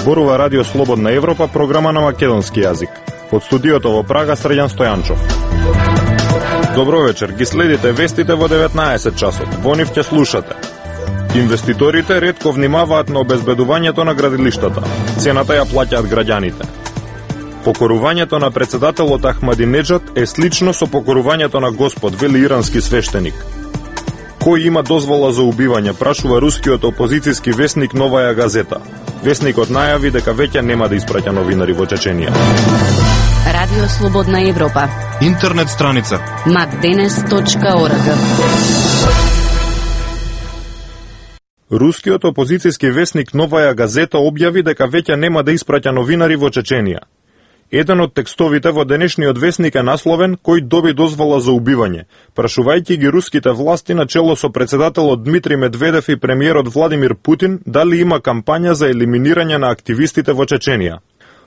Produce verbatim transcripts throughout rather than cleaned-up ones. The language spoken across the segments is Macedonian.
Зборува Радио Слободна Европа, програма на македонски јазик. Од студиото во Прага, Срđan Стојанчов. Добро вечер, ги следите вестите во деветнаесет часот. Во нив ќе слушате. Инвеститорите ретко внимаваат на обезбедувањето на градилиштата. Цената ја плаќаат граѓаните. Покорувањето на председателот Ахмадинеджад е слично со покорувањето на Господ, вели ирански свештеник. Кој има дозвола за убивање, прашува рускиот опозицијски весник Новаја газета. Весникот најави дека веќе нема да испраќа новинари во Чеченија. Радио Слободна Европа. Интернет страница макденес точка орг. Рускиот опозицијски весник Новаја газета објави дека веќе нема да испраќа новинари во Чеченија. Еден од текстовите во денешниот весник е насловен "Кој доби дозвола за убивање", прашувајќи ги руските власти на чело со председателот Дмитрий Медведев и премиерот Владимир Путин дали има кампања за елиминирање на активистите во Чеченија.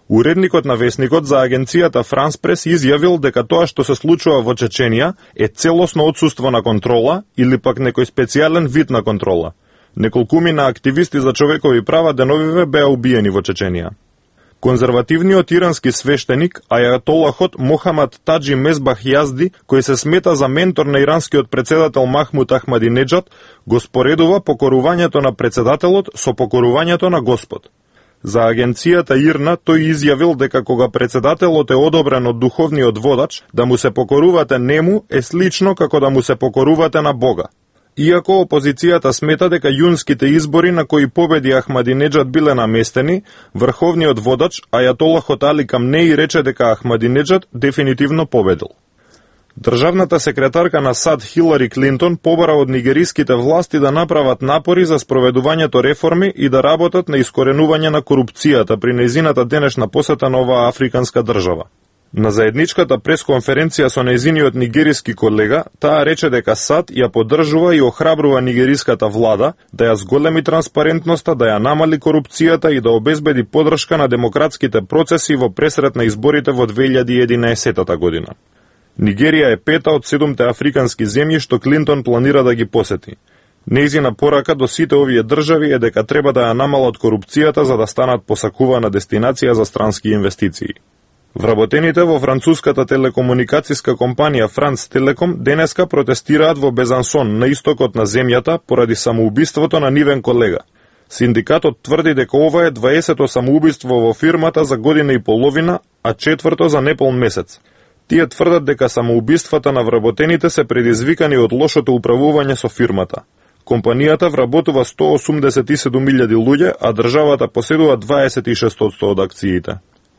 Уредникот на весникот за агенцијата Франс Прес изјавил дека тоа што се случува во Чеченија е целосно отсуство на контрола или пак некој специјален вид на контрола. Неколкумина активисти за човекови права деновиве беа убиени во Чеченија. Конзервативниот ирански свештеник, ајатолахот Мохамад Таджи Мезбах Јазди, кој се смета за ментор на иранскиот председател Махмуд Ахмадинеджад, го споредува покорувањето на председателот со покорувањето на Господ. За агенцијата ИРНА тој изјавил дека кога председателот е одобрен од духовниот водач, да му се покорувате нему е слично како да му се покорувате на Бога. Иако опозицијата смета дека јунските избори на кои победи Ахмадинеджад биле наместени, врховниот водач ајатолахот Али Камнеи рече дека Ахмадинеджад дефинитивно победил. Државната секретарка на САД Хилари Клинтон побара од нигериските власти да направат напори за спроведувањето реформи и да работат на искоренување на корупцијата при нејзината денешна посета на оваа африканска држава. На заедничката пресконференција со нејзиниот нигериски колега, таа рече дека САД ја поддржува и охрабрува нигериската влада да ја зголеми транспарентноста, да ја намали корупцијата и да обезбеди поддршка на демократските процеси во пресрет на изборите во две илјади и единаесетта година. Нигерија е пета од седумте африкански земји што Клинтон планира да ги посети. Нејзина порака до сите овие држави е дека треба да ја намалат корупцијата за да станат посакувана дестинација за странски инвестиции. Вработените во француската телекомуникацијска компанија Франц Телеком денеска протестираат во Безансон, на истокот на земјата, поради самоубиството на нивен колега. Синдикатот тврди дека ова е дваесето самоубиство во фирмата за година и половина, а четврто за неполн месец. Тие тврдат дека самоубиствата на вработените се предизвикани од лошото управување со фирмата. Компанијата вработува сто осумдесет и седум илјади луѓе, а државата поседува дваесет и шест одсто од акциите.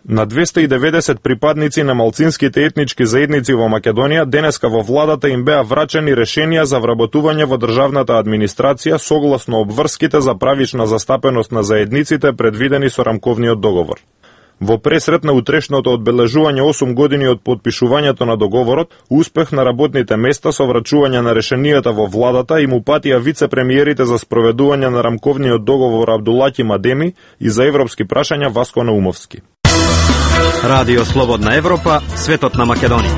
На двесте и деветдесет припадници на малцинските етнички заедници во Македонија денеска во владата им беа врачени решенија за вработување во државната администрација согласно обврските за правична застапеност на заедниците предвидени со рамковниот договор. Во пресрет на утрешното одбележување осум години од подпишувањето на договорот, успех на работните места со врачување на решенијата во владата им упатија вице-премиерите за спроведување на рамковниот договор Абдулаки Мадеми и за европски прашања Васко Наумовски. Радио Слободна Европа, светот на Македонија.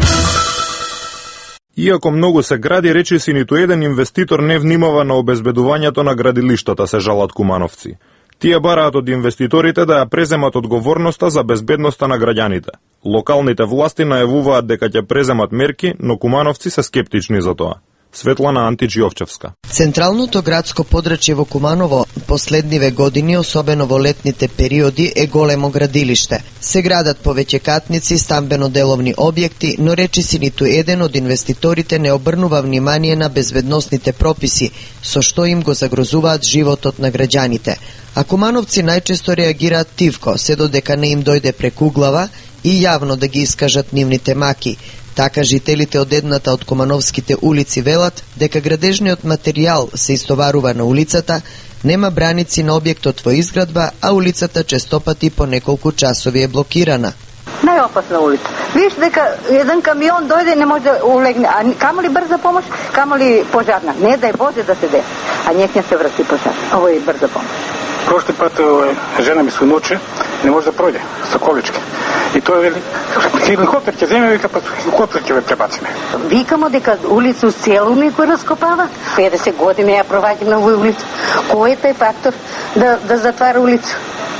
Иако многу се гради, речиси ниту еден инвеститор не внимава на обезбедувањето на градилиштата, се жалат кумановци. Тие бараат од инвеститорите да ја преземат одговорноста за безбедноста на граѓаните. Локалните власти најавуваат дека ќе преземат мерки, но кумановци се скептични за тоа. Светлана Антич-Јовчевска. Централното градско подрачје во Куманово последниве години, особено во летните периоди, е големо градилиште. Се градат повеќе катници, стамбено-деловни објекти, но речиси ниту еден од инвеститорите не обрнува внимание на безбедносните прописи, со што им го загрозуваат животот на граѓаните. А кумановци најчесто реагираат тивко, се додека не им дојде преку глава и јавно да ги искажат нивните маки. Така жителите од едната од кумановските улици велат дека градежниот материјал се истоварува на улицата, нема браници на објектот во изградба, а улицата честопати по неколку часови е блокирана. Најопасна улица. Виж дека еден камион дојде и не може да улегне, а камо ли брза помош, камо ли пожарна. Не дај Боже да се де, а некне се врати пожар. Ово е брза помош. Прошли пат жена ми се ноче, не може да пројде со колички. И тоа вели, хеликоптер ќе земе, вика, па хеликоптер ќе ве пребациме. Викамо дека улицу целу ми го раскопава. педесет години ја проваѓам на овој улица. Кој е тај фактор да, да затвара улица?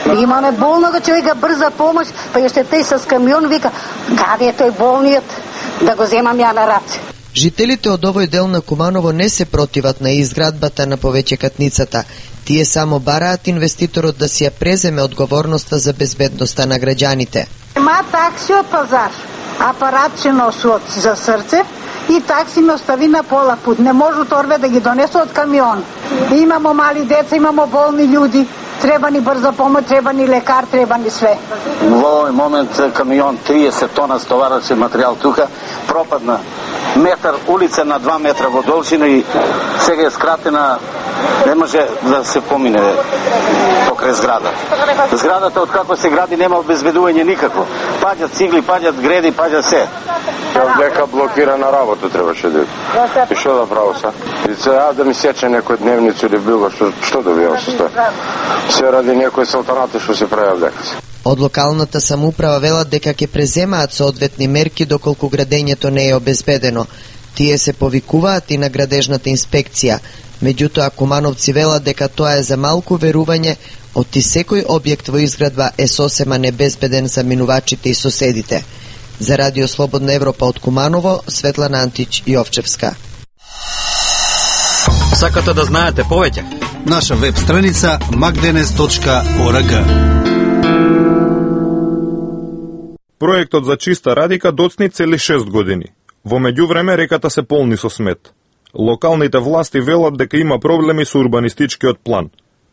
Имаме болного човека, брза помош, па еште тој с камион вика, каде е тој болниот, да го земам ја на раце. Жителите од овој дел на Куманово не се противат на изградбата на повеќекатницата. Тие само бараат инвеститорот да си ја преземе одговорноста за безбедноста на граѓаните. Има такси од пазар, апаратче носи од за срце и такси ме остави на пола пут. Не може торбе да ги донесе од камион. Имамо мали деца, имамо болни људи. Треба ни брза помош, треба ни лекар, треба ни све. Во овој момент камион триесет тона стоварачен материјал тука пропадна метар улица на два метра во должина и сега е скратена, не може да се помине покрај зграда. Зградата од како се гради нема обезбедување никакво. Паѓат цигли, паѓат греди, паѓа се. Од дека блокирана работа требаше да. И што да право са? И сега да ми сече некој дневницу или било што што добивам со тоа. Се ради некој салтанати што се прави дека се. Од локалната самоуправа велат дека ќе преземаат соодветни мерки доколку градењето не е обезбедено. Тие се повикуваат и на градежната инспекција. Меѓутоа, кумановци велат дека тоа е за малку верување, оти секој објект во изградба е сосема небезбеден за минувачите и соседите. За Радио Слободна Европа од Куманово, Светлана Антич Јовчевска. Сакате да знаете повеќе? Наша веб страница макденес точка орг. Проектот за чиста радика доцни цели шест години. Во меѓувреме реката се полни со смет. Локалните власти велат дека има проблеми со урбанистичкиот план.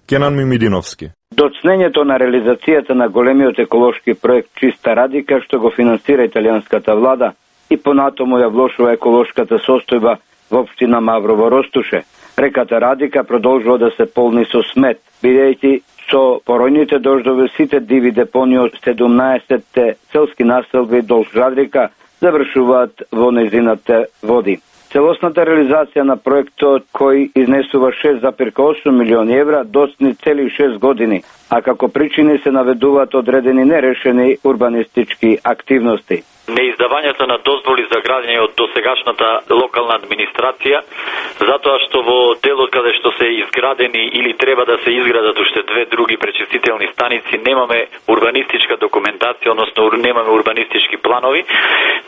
Кенан Мимидиновски. Доцнењето на реализацијата на големиот еколошки проект Чиста радика, што го финансира италијанската влада, и понатаму ја влошува еколошката состојба во општина Маврово Ростуше. Реката Радика продолжува да се полни со смет, бидејќи со поројните дождови сите диви депонии од седумнаесетте селски населби долж Радика завршуваат во незината води. Целосната реализација на проектот, кој изнесува шест зарез осум милиони евра, доцни цели шест години, а како причини се наведуваат одредени нерешени урбанистички активности. Неиздавањето на дозволи за градење од досегашната локална администрација, затоа што во делот каде што се изградени или треба да се изградат уште две други пречистителни станици, немаме урбанистичка документација, односно немаме урбанистички планови.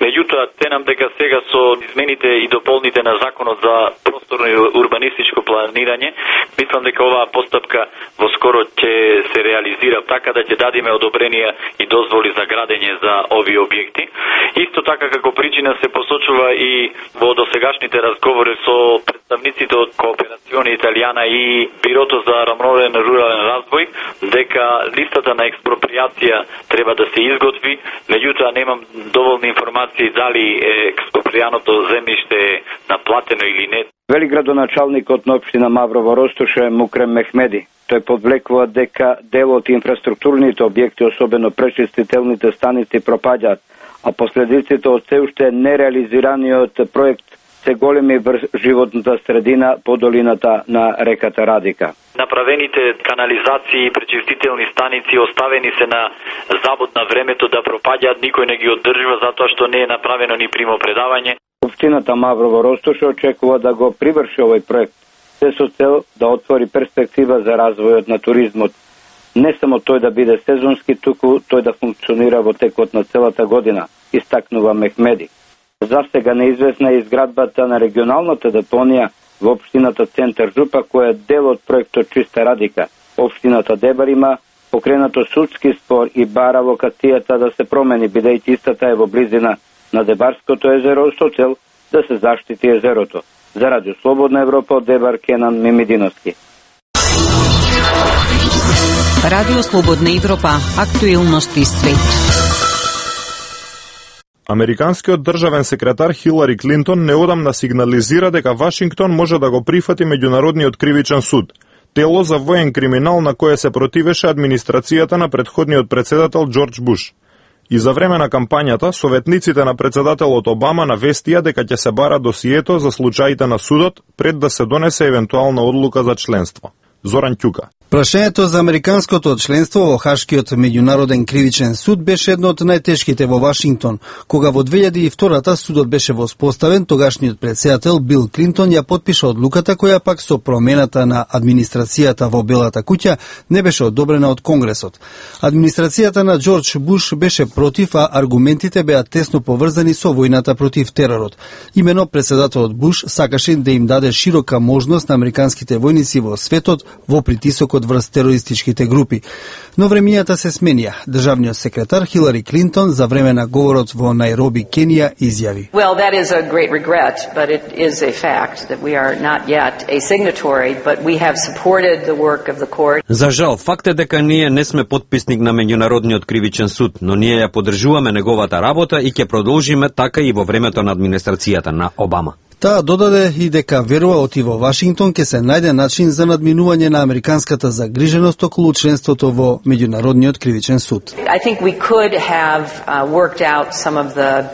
Меѓутоа, ценам дека сега со измените и дополните на законот за просторно и урбанистичко планирање, мислам дека оваа постапка во скоро ќе се реализира така да ќе дадиме одобренија и дозволи за градење за овие објекти. Исто така како причина се посочува и во досегашните разговори со представниците од Кооперациони Италијана и Бирото за рамновен рурален развој, дека листата на експроприација треба да се изготви, меѓутоа немам доволни информации дали експропријаното земјиште е наплатено или не. Вели градоначалникот на општина Маврово Ростуше Мукрем Мехмеди. Тој подвлекува дека дел од инфраструктурните објекти, особено пречистителните станици, пропаѓаат, а последиците од се уште нереализираниот проект се големи врз животната средина по долината на реката Радика. Направените канализации и пречистителни станици оставени се на забот на времето да пропаѓаат, никој не ги оддржува затоа што не е направено ни примопредавање. Општината Маврово Ростуше очекува да го приврши овој проект, се со цел да отвори перспектива за развојот на туризмот. Не само тој да биде сезонски, туку тој да функционира во текот на целата година, истакнува Мехмеди. Засега неизвестна е изградбата на регионалната депонија во општината Центар Жупа, која е дел од проектот Чиста Радика. Општината Дебар има покренато судски спор и бара локацијата да се промени, бидејќи истата е во близина на Дебарското езеро со цел да се заштити езерото. За Радио Слободна Европа од Дебар, Кенан Мимидиновски. Радио Слободна Европа, актуелности свет. Американскиот државен секретар Хилари Клинтон неодамна сигнализира дека Вашингтон може да го прифати меѓународниот кривичен суд, тело за воен криминал на кое се противеше администрацијата на претходниот председател Џорџ Буш. И за време на кампањата, советниците на председателот Обама навестија дека ќе се бара досието за случаите на судот пред да се донесе евентуална одлука за членство. Зоран Ќука. Прашањето за американското членство во Хашкиот меѓународен кривичен суд беше едно од најтешките во Вашингтон. Кога во две илјади и втора судот беше воспоставен, тогашниот претседател Бил Клинтон ја потпиша одлуката која пак со промената на администрацијата во Белата куќа не беше одобрена од Конгресот. Администрацијата на Џорџ Буш беше против, а аргументите беа тесно поврзани со војната против теророт. Имено претседателот Буш сакаше да им даде широка можност на американските војници во светот во притисокот врз терористичките групи. Но времињата се сменија. Државниот секретар Хилари Клинтон за време на говорот во Најроби, Кенија, изјави: Well, that is a great regret, but it is a fact that we are not yet a signatory, but we have supported the work of the court. За жал, факт е дека ние не сме потписник на меѓународниот кривичен суд, но ние ја поддржуваме неговата работа и ќе продолжиме така и во времето на администрацијата на Обама. Таа додаде и дека верува оти во Вашингтон ќе се најде начин за надминување на американската загриженост околу членството во меѓународниот кривичен суд. I think we could have uh, worked out some of the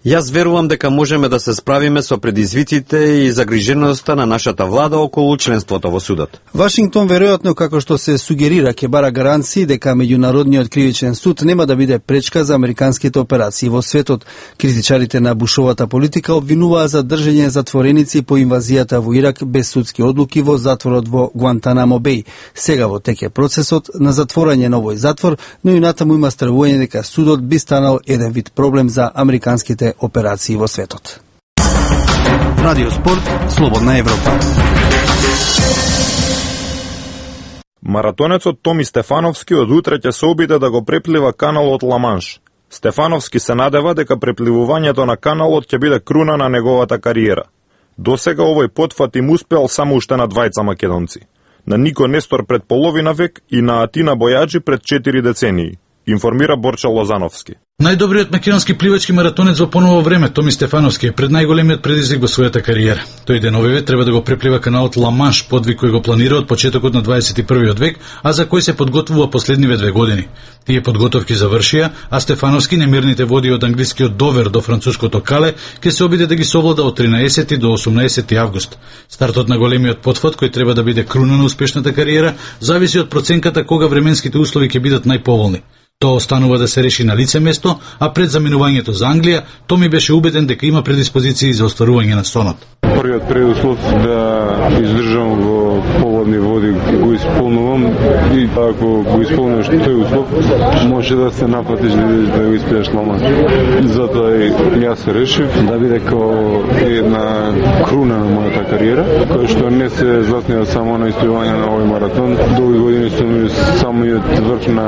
Јас верувам дека можеме да се справиме со предизвиците и загриженоста на нашата влада околу членството во судот. Вашингтон веројатно, како што се сугерира, ќе бара гаранции дека меѓународниот кривичен суд нема да биде пречка за американските операции во светот. Критичарите на Бушовата политика обвинуваа за држење затвореници по инвазијата во Ирак без судски одлуки во затворот во Гуантанамо Беј. Сега во тек е процесот на затворање на овој затвор, но и натаму има стравување дека судот би станал еден вид проблем за американските операции во светот. Радио Спорт, Слободна Европа. Маратонецот Томи Стефановски од утре ќе се обиде да го преплива каналот Ла-Манш. Стефановски се надева дека препливувањето на каналот ќе биде круна на неговата кариера. Досега овој потфат им успел само уште на двајца македонци. На Нико Нестор пред половина век и на Атина Бојаджи пред четири децении, информира Борче Лозановски. Најдобриот македонски пливачки маратонец во поново време, Томи Стефановски, е пред најголемиот предизвик во својата кариера. Тој деновиве треба да го преплива каналот Ла-Манш, подвиг кој го планира од почетокот на дваесет и првиот век, а за кој се подготвува последниве две години. Тие подготовки завршија, а Стефановски немирните води од англискиот Довер до француското Кале ќе се обиде да ги совлада од тринаесети до осумнаесети август. Стартот на големиот потфат, кој треба да биде круна на успешната кариера, зависи од проценката кога временските услови ќе бидат најповолни. Тоа останува да се реши на лице место, а пред заминувањето за Англија, Томи беше убеден дека има предиспозиции за остварување на сонот. Првиот предуслов да издржам во поводни води го исполнувам и ако го исполниш тој услов, може да се напатиш да, да го испееш Ла-Манш. Затоа и јас се решив да биде како една круна на мојата кариера, која што не се заснува само на испливање на овој маратон. Долги години сум самиот врв на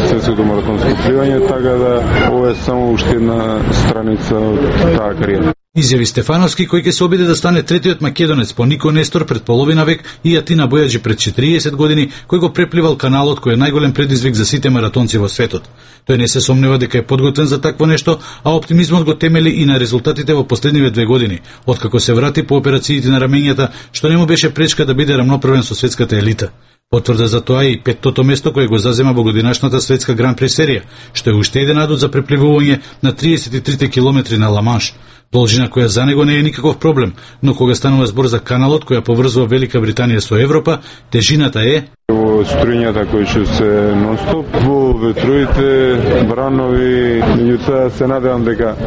светското маратонско пливање, така да ова е само уште една страница од таа кариера. Изјави Стефановски, кој ќе се обиде да стане третиот македонец по Нико Нестор пред половина век и Атина Бојаджи пред четириесет години, кој го препливал каналот кој е најголем предизвик за сите маратонци во светот. Тој не се сомнева дека е подготвен за такво нешто, а оптимизмот го темели и на резултатите во последниве две години, откако се врати по операциите на рамењата, што не му беше пречка да биде рамноправен со светската елита. Потврда за тоа и петтото место кое го зазема во годинашната светска Гран При серија, што е уште еден адут за препливување на триесет и трите километри на Ла-Манш. Должина која за него не е никаков проблем, но кога станува збор за каналот која поврзува Велика Британија со Европа, тежината е во струјњата кои што се нонстоп, во ветровите, бранови, меѓутоа се надевам дека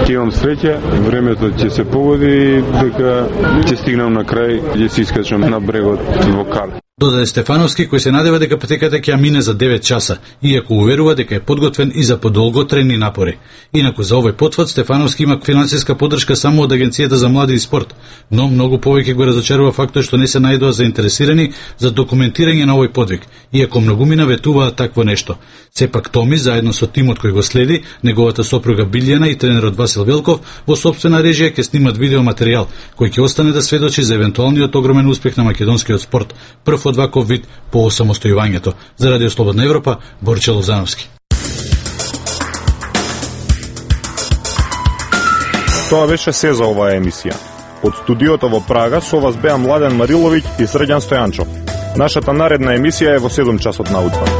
ќе имам среќа, времето ќе се погоди и дека ќе стигнам на крај, ќе се искачам на брегот во Кале. Додаде Стефановски, кој се надева дека патеката ќе мине за девет часа, иако уверува дека е подготвен и за подолготрени напори. Инаку за овој потфат Стефановски има финансиска поддршка само од Агенцијата за млади и спорт, но многу повеќе го разочарува фактот што не се најдоа заинтересирани за документирање на овој подвиг, иако многумина ветуваат такво нешто. Сепак Томи, заедно со тимот кој го следи, неговата сопруга Билјана и тренерот Васил Велков, во сопствена режија ќе снимат видеоматеријал, кој ќе остане да сведочи за евентуалниот огромен успех на македонскиот спорт, прв од ваков вид по осамостојувањето. За Радио Слободна Европа, Борче Лозановски. Тоа беше се за оваа емисија. Од студиото во Прага со вас беа Младен Мариловиќ и Срđan Стојанчов. Нашата наредна емисија е во седум часот наутро.